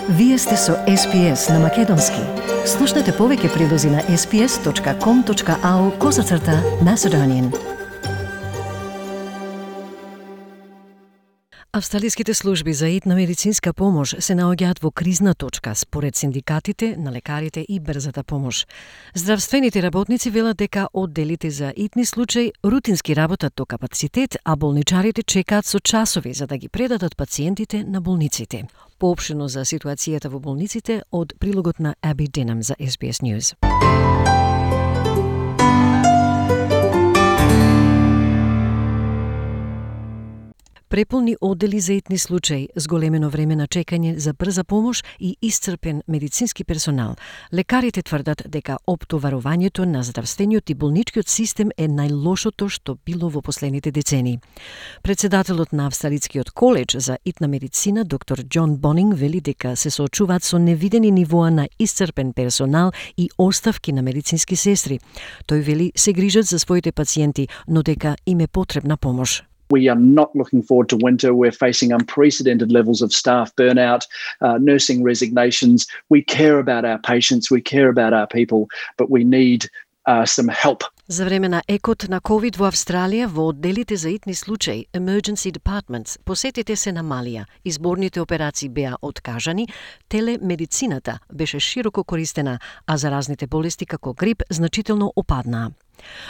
Вие сте со SPS на Македонски. Слушнете повеќе прилози на sps.com.au/Macedonian. Австралиските служби за итна медицинска помош се наоѓаат во кризна точка според синдикатите на лекарите и брзата помош. Здравствените работници велат дека одделите за итни случаи рутински работат до капацитет, а болничарите чекаат со часови за да ги предадат пациентите на болниците. Поопштено за ситуацијата во болниците од прилогот на Аби Денам за SBS News. Преполни оддели за итни случаи, зголемено време на чекање за брза помош и исцрпен медицински персонал. Лекарите тврдат дека оптоварувањето на здравствениот и болничкиот систем е најлошото што било во последните децени. Председателот на Австралискиот коледж за итна медицина, доктор Џон Бонинг, вели дека се соочуваат со невидени нивоа на исцрпен персонал и оставки на медицински сестри. Тој вели се грижат за своите пациенти, но дека им е потребна помош. We are not looking forward to winter. We're facing unprecedented levels of staff burnout, nursing resignations. We care about our patients, we care about our people, but we need some help. За време на екот на COVID во Австралија, во одделите за итни случаи, Emergency Departments, посетите се намалија, изборните операции беа откажани, телемедицината беше широко користена, а заразните болести како грип значително опаднаа.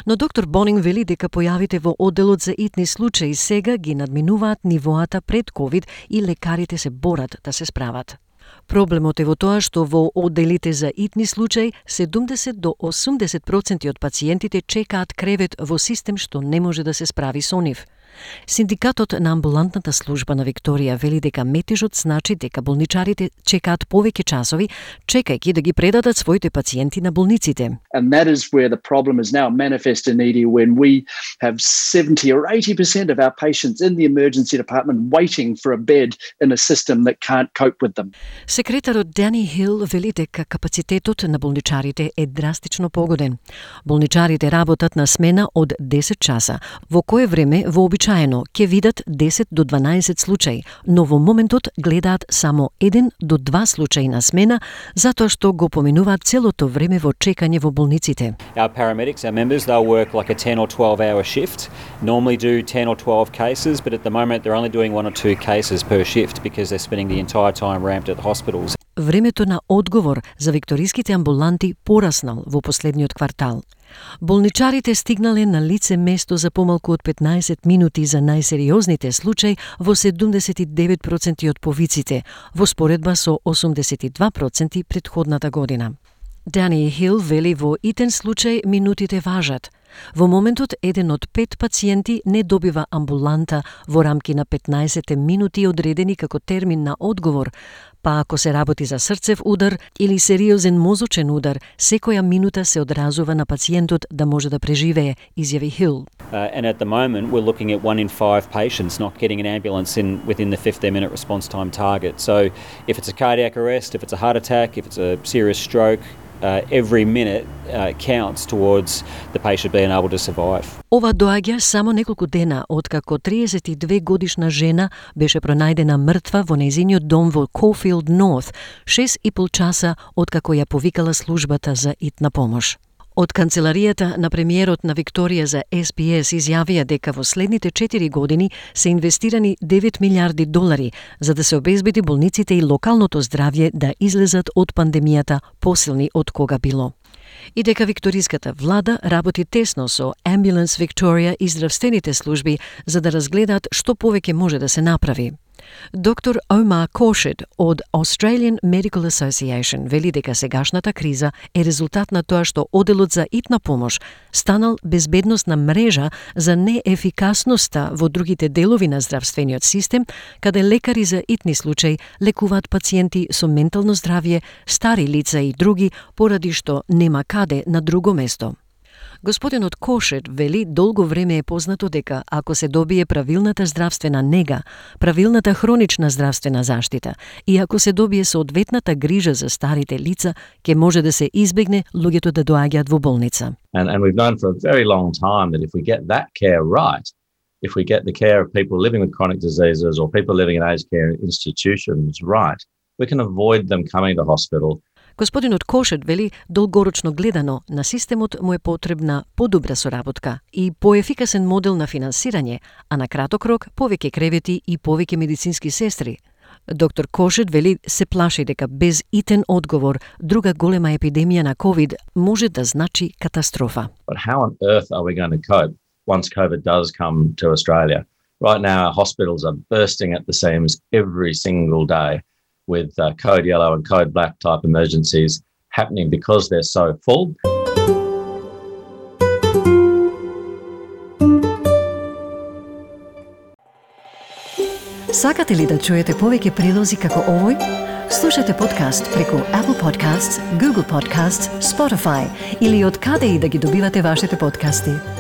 Но доктор Бонинг вели дека појавите во одделот за итни случаи сега ги надминуваат нивоата пред COVID и лекарите се борат да се справат. Проблемот е во тоа што во одделите за итни случаи 70 до 80% од пациентите чекаат кревет во систем што не може да се справи со нив. Синдикатот на амбулантната служба на Викторија вели дека метежот значи дека болничарите чекаат повеќе часови, чекајќи да ги предадат своите пациенти на болниците. And that is where the problem is now manifest in ED when we have 70 or 80% of our patients in the emergency department waiting for a bed in a system that can't cope with them. Секретарот Дани Хил вели дека капацитетот на болничарите е драстично погоден. Болничарите работат на смена од 10 часа, во кое време вообичаено ќе видат 10 до 12 случаи, но во моментот гледаат само 1 до 2 случаи на смена, затоа што го поминуваат целото време во чекање во болниците. Our paramedics, our members, they'll work like a 10 or 12 hour shift, normally do 10 or 12 cases, but at the moment they're only doing 1 or 2 cases per shift because they're spending the entire time ramped at the hospitals. Времето на одговор за викториските амбуланти пораснал во последниот квартал. Болничарите стигнале на лице место за помалку од 15 минути за најсериозните случаи во 79% од повиците, во споредба со 82% претходната година. Дани Хил вели во итен случај минутите важат. Во моментот, 1 од 5 пациенти не добива амбуланта во рамки на 15 минути одредени како термин на одговор, па ако се работи за срцев удар или сериозен мозочен удар, секоја минута се одразува на пациентот да може да преживее, изјави Хил. And at the moment, we're looking at 1 in 5 patients not getting an ambulance within the 15-minute response time target. So if it's a cardiac arrest, if it's a heart attack, if it's a serious stroke, every minute counts towards the patient being able to survive. Ова доаѓа само неколку дена откако 32 годишна жена беше пронајдена мртва во нејзиниот дом во Caulfield North, 6,5 часа откако ја повикала службата за итна помош. Од канцеларијата на премиерот на Викторија за SBS изјавија дека во следните 4 години се инвестирани 9 милиарди долари за да се обезбеди болниците и локалното здравје да излезат од пандемијата посилни од кога било. И дека викториската влада работи тесно со Ambulance Victoria и здравствените служби за да разгледаат што повеќе може да се направи. Доктор Omar Khorshid од Australian Medical Association вели дека сегашната криза е резултат на тоа што одделот за итна помош станал безбедносна мрежа за неефикасноста во другите делови на здравствениот систем, каде лекари за итни случаи лекуваат пациенти со ментално здравје, стари лица и други, поради што нема каде на друго место. Господинот Кошет вели долго време е познато дека ако се добие правилната здравствена нега, правилната хронична здравствена заштита и ако се добие соодветната грижа за старите лица, ќе може да се избегне луѓето да доаѓаат во болница. And we've known for a very long time that if we get that care right, if we get the care of people living with chronic diseases or people living in aged care institutions right, we can avoid them coming to hospital. Господинот Кошет вели долгорочно гледано на системот му е потребна подобра соработка и поефикасен модел на финансирање, а на краток рок повеќе кревети и повеќе медицински сестри. Доктор Кошет вели се плаши дека без итен одговор друга голема епидемија на COVID може да значи катастрофа. But how on earth are we going to cope once COVID does come to Australia? Right now, our hospitals are bursting at the seams every single day with code yellow and code black type emergencies happening because they're so full. Сакате ли да чуете повеќе прилози како овој? Слушате подкаст преку Apple Podcasts, Google Podcasts, Spotify или од каде и да ги добивате вашите подкасти.